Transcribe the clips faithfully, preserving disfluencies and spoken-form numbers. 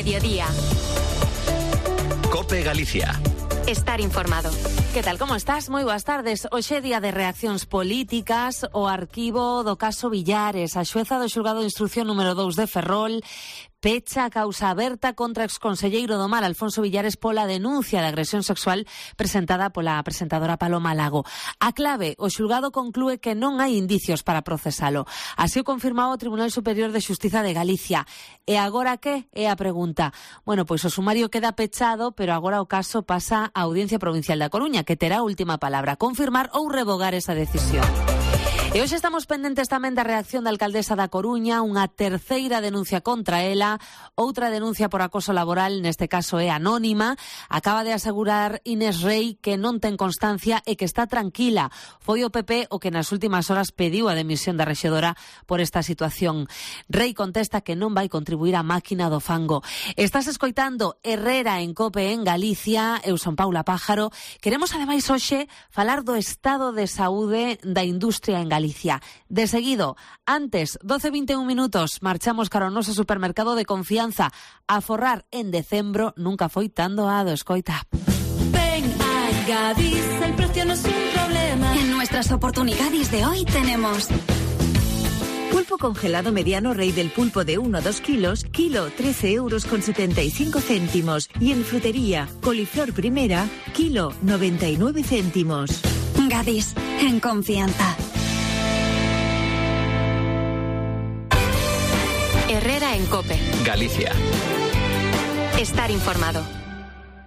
mediodía. COPE Galicia. Estar informado. Que tal, como estás? Moi boas tardes. Hoxe é día de reaccións políticas. O arquivo do caso Villares. A xueza do xulgado de instrucción número dous de Ferrol pecha a causa aberta contra exconselleiro do Mar, Alfonso Villares, pola denuncia de agresión sexual presentada pola presentadora Paloma Lago. A clave, o xulgado conclúe que non hai indicios para procesalo. Así o confirmaba o Tribunal Superior de Xustiza de Galicia. E agora que? É a pregunta. Bueno, pois o sumario queda pechado, pero agora o caso pasa á Audiencia Provincial da Coruña, que terá a última palabra, confirmar ou revogar esa decisión. E hoxe estamos pendentes tamén da reacción da alcaldesa da Coruña, unha terceira denuncia contra ela, outra denuncia por acoso laboral, neste caso é anónima. Acaba de asegurar Inés Rei que non ten constancia e que está tranquila. Foi o P P o que nas últimas horas pediu a demisión da rexedora por esta situación. Rei contesta que non vai contribuir á máquina do fango. Estás escoitando Herrera en COPE en Galicia. Eu son Paula Pájaro. Queremos ademais hoxe falar do estado de saúde da industria en Galicia. Galicia. De seguido, antes, doce e vinte e un minutos, marchamos cara ao noso supermercado de confianza. A forrar en decembro nunca foi tan doado, escoita. Ven a Gadis, el precio no es un problema. En nuestras oportunidades de hoy tenemos pulpo congelado mediano Rey del Pulpo de uno a dos kilos, kilo trece euros con setenta y cinco céntimos. Y en frutería, coliflor primera, kilo noventa y nueve céntimos. Gadis, en confianza. Herrera en COPE. Galicia. Estar informado.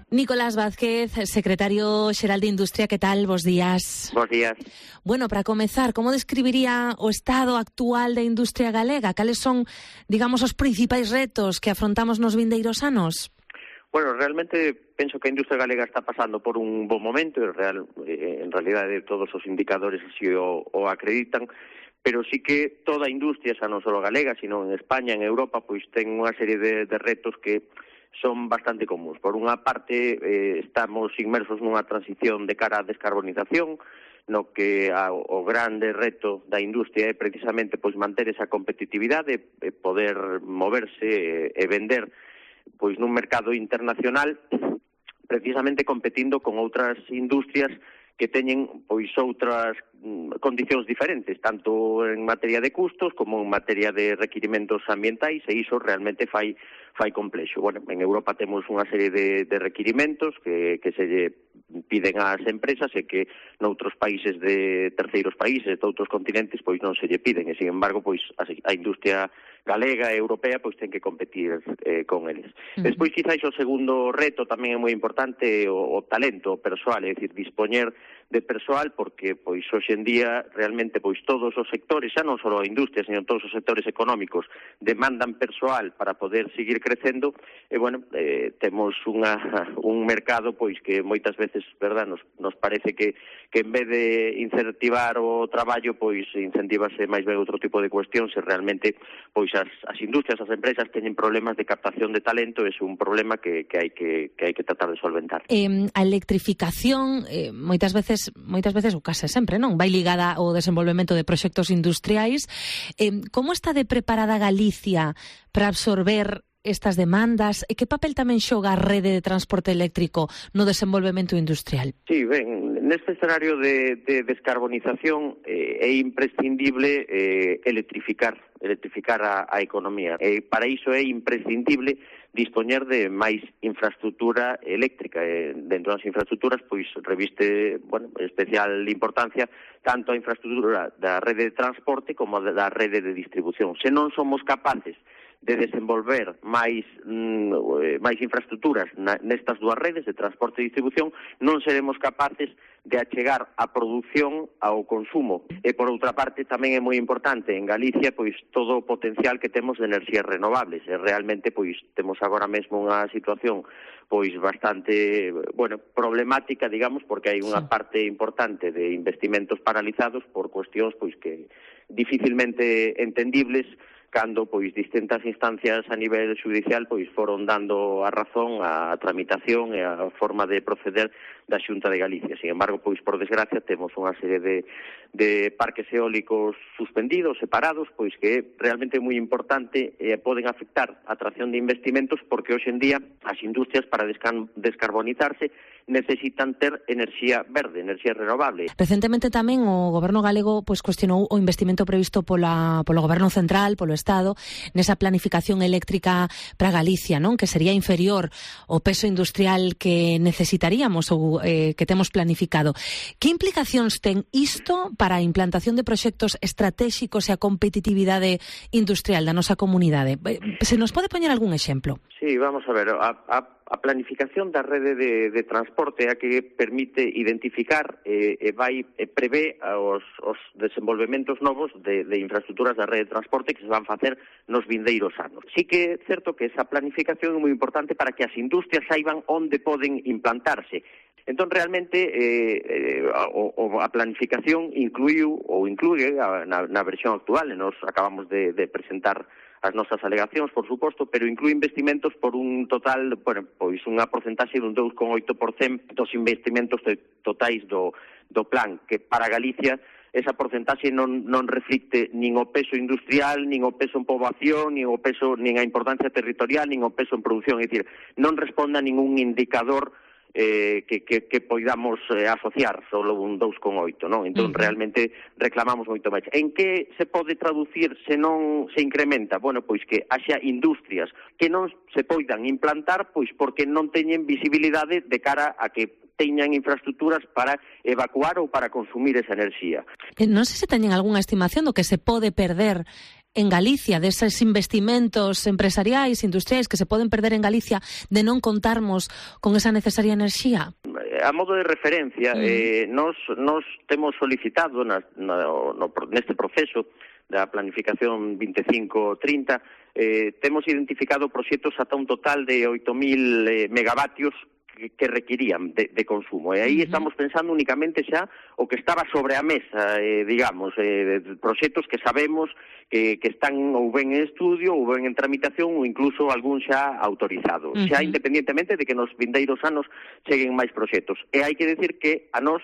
Nicolás Vázquez, secretario xeral de Industria, que tal? Bos días. Bos días. Bueno, para comezar, como describiría o estado actual da industria galega? Cales son, digamos, os principais retos que afrontamos nos vindeiros anos? Bueno, realmente penso que a industria galega está pasando por un bo momento, e real, en realidade todos os indicadores así o, o acreditan, pero sí que toda a industria, xa non só galega, sino en España, en Europa, pois ten unha serie de, de retos que son bastante comuns. Por unha parte, eh, estamos inmersos nunha transición de cara á descarbonización, no que a, o grande reto da industria é precisamente pois manter esa competitividade, e poder moverse e, e vender pois nun mercado internacional, precisamente competindo con outras industrias que teñen pois outras mm, condicións diferentes, tanto en materia de custos como en materia de requirimentos ambientais, e iso realmente fai fai complexo. Bueno, en Europa temos unha serie de, de requirimentos que, que se lle piden ás empresas e que noutros países de terceiros países, de outros continentes, pois non se lle piden, e sin embargo, pois a, a industria galega e europea pois ten que competir eh, con eles. Uh-huh. Despois, quizáis, o segundo reto tamén é moi importante, o, o talento persoal, é dicir, dispoñer de persoal, porque pois hoxe en día realmente pois todos os sectores, xa non só a industria, sino todos os sectores económicos demandan persoal para poder seguir crecendo, e bueno, eh, temos unha, un mercado pois que moitas veces, verdad, nos, nos parece que, que en vez de incentivar o traballo, pois incentivase máis ben outro tipo de cuestións, e realmente pois as, as industrias, as empresas teñen problemas de captación de talento, e é un problema que, que hai que, que hai que tratar de solventar. Eh, a electrificación, eh, moitas veces moitas veces, ou case sempre, non? Vai ligada ao desenvolvemento de proxectos industriais. Eh, como está de preparada Galicia para absorber estas demandas, e que papel tamén xoga a rede de transporte eléctrico no desenvolvemento industrial? Sí, ben, neste escenario de, de descarbonización eh, é imprescindible eh, electrificar, electrificar a, a economía. E para iso é imprescindible dispoñer de máis infraestructura eléctrica. E dentro das infraestructuras, pois, reviste, bueno, especial importancia tanto a infraestructura da rede de transporte como da rede de distribución. Se non somos capaces de desenvolver máis mm, máis infraestructuras na, nestas dúas redes de transporte e distribución, non seremos capaces de achegar a produción ao consumo. E por outra parte tamén é moi importante en Galicia pois todo o potencial que temos de enerxías renovables. E realmente pois temos agora mesmo unha situación pois bastante, bueno, problemática, digamos, porque hai unha parte importante de investimentos paralizados por cuestións pois que dificilmente entendibles, cando pois distintas instancias a nivel judicial pois foron dando a razón á tramitación e a forma de proceder da Xunta de Galicia. Sin embargo, pois por desgracia temos unha serie de, de parques eólicos suspendidos, separados, pois que é realmente moi importante e eh, poden afectar a atracción de investimentos porque hoxe en día as industrias para descan- descarbonizarse necesitan ter enerxía verde, enerxía renovable. Recentemente tamén o Goberno galego pois cuestionou o investimento previsto pola, polo Goberno Central, polo Estado, nesa planificación eléctrica para Galicia, non? Que sería inferior ao peso industrial que necesitaríamos ou eh, que temos planificado. Que implicacións ten isto para a implantación de proxectos estratégicos e a competitividade industrial da nosa comunidade? Se nos pode poñer algún exemplo? Sí, vamos a ver, a, a, a planificación da rede de, de transporte é a que permite identificar e, e vai e prevé os, os desenvolvementos novos de, de infraestructuras da rede de transporte que se van facer nos vindeiros anos. Sí que é certo que esa planificación é moi importante para que as industrias saiban onde poden implantarse. Entón, realmente, eh, eh, o, o, a planificación incluiu ou inclúe a, na, na versión actual, e nos acabamos de, de presentar as nosas alegacións, por suposto, pero inclúe investimentos por un total, bueno, pois unha porcentaxe dun dous vírgula oito por cento dos investimentos de, totais do, do plan, que para Galicia esa porcentaxe non, non reflicte nin o peso industrial, nin o peso en poboación, nin o peso, nin a importancia territorial, nin o peso en producción, é dicir, non responde a ningún indicador Eh, que, que, que poidamos eh, asociar solo un dous vírgula oito, non? Entón, uh-huh. realmente reclamamos moito máis. En que se pode traducir se non se incrementa? Bueno, pois que haxa industrias que non se poidan implantar, pois porque non teñen visibilidade de cara a que teñan infraestructuras para evacuar ou para consumir esa enerxía. Non sei se teñen algunha estimación do que se pode perder en Galicia, deses investimentos empresariais, industriais que se poden perder en Galicia de non contarmos con esa necesaria enerxía? A modo de referencia, mm. eh, nos, nos temos solicitado na, na, no, neste proceso da planificación veinticinco trinta, eh, temos identificado proxectos ata un total de oito mil eh, megavatios que requirían de, de consumo. E aí uh-huh. estamos pensando únicamente xa o que estaba sobre a mesa, eh, digamos, eh, proxectos que sabemos que, que están ou ben en estudio ou ben en tramitación ou incluso algún xa autorizado. Uh-huh. Xa independentemente de que nos vindeiros anos cheguen máis proxectos. E hai que decir que a nós,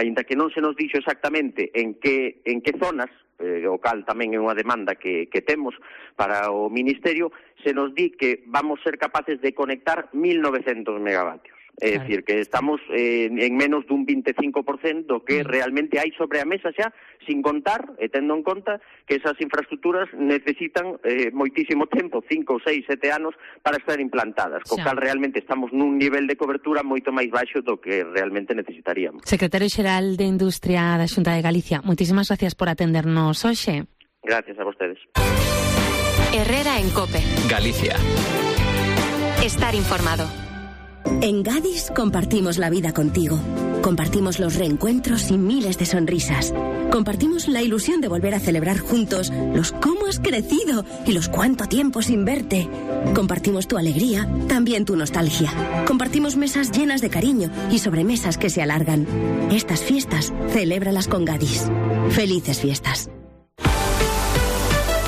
aínda que non se nos dixo exactamente en que, en que zonas, eh, o cal tamén é unha demanda que, que temos para o Ministerio, se nos di que vamos ser capaces de conectar mil novecientos megavatios. É claro. Dicir, que estamos eh, en menos dun veinticinco por cento do que mm. realmente hai sobre a mesa xa, sin contar, e tendo en conta que esas infraestructuras necesitan eh, moitísimo tempo, cinco, seis, sete anos, para estar implantadas, co cal realmente estamos nun nivel de cobertura moito máis baixo do que realmente necesitaríamos. Secretario Xeral de Industria da Xunta de Galicia, moitísimas gracias por atendernos hoxe. Gracias a vostedes. Herrera en COPE. Galicia. Estar informado. En Gadis compartimos la vida contigo. Compartimos los reencuentros y miles de sonrisas. Compartimos la ilusión de volver a celebrar juntos los cómo has crecido y los cuánto tiempo sin verte. Compartimos tu alegría, también tu nostalgia. Compartimos mesas llenas de cariño y sobremesas que se alargan. Estas fiestas, celébralas con Gadis. Felices fiestas.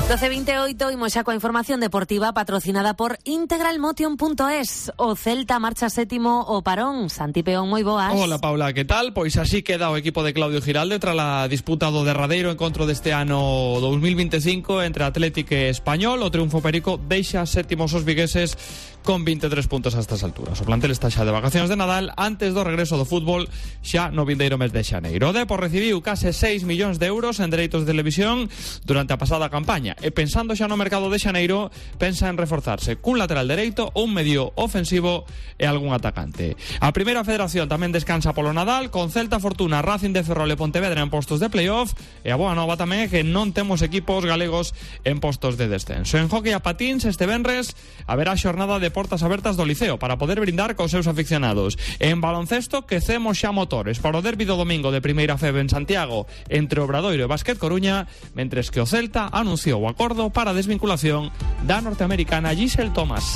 doce veintiocho, imos xa coa información deportiva patrocinada por integral motion punto es. O Celta marcha sétimo o parón. Santi Peón, moi boas. Hola, Paula, que tal? Pois así queda o equipo de Claudio Giralde tras a disputa do derradeiro encontro deste ano dos mil veinticinco entre Atlético e Español. O triunfo perico deixa sétimos os vigueses con veintitrés puntos a estas alturas. O plantel está xa de vacacións de Nadal antes do regreso do fútbol xa no vindeiro mes de xaneiro. O Depor recibiu case seis millóns de euros en dereitos de televisión durante a pasada campaña e pensando xa no mercado de xaneiro pensa en reforzarse cun lateral dereito, un medio ofensivo e algún atacante. A primeira federación tamén descansa polo Nadal con Celta, Fortuna, Racing de Ferrol e Pontevedra en postos de playoff e a boa nova tamén é que non temos equipos galegos en postos de descenso. En hockey a patins este venres haberá xornada de portas abertas do Liceo para poder brindar cos seus aficionados. En baloncesto quecemos xa motores para o derbi do domingo de Primeira F E B en Santiago entre Obradoiro e Básquet Coruña, mentres que o Celta anunciou o acordo para a desvinculación da norteamericana Giselle Thomas.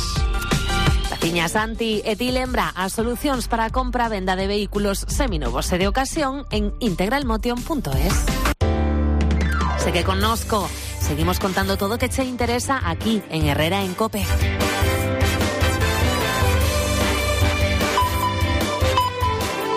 Tiña Santi e ti lembra as solucións para a compra e venda de vehículos seminovos e de ocasión en integral motion punto es. Segue connosco, seguimos contando todo o que che interesa aquí en Herrera en COPE.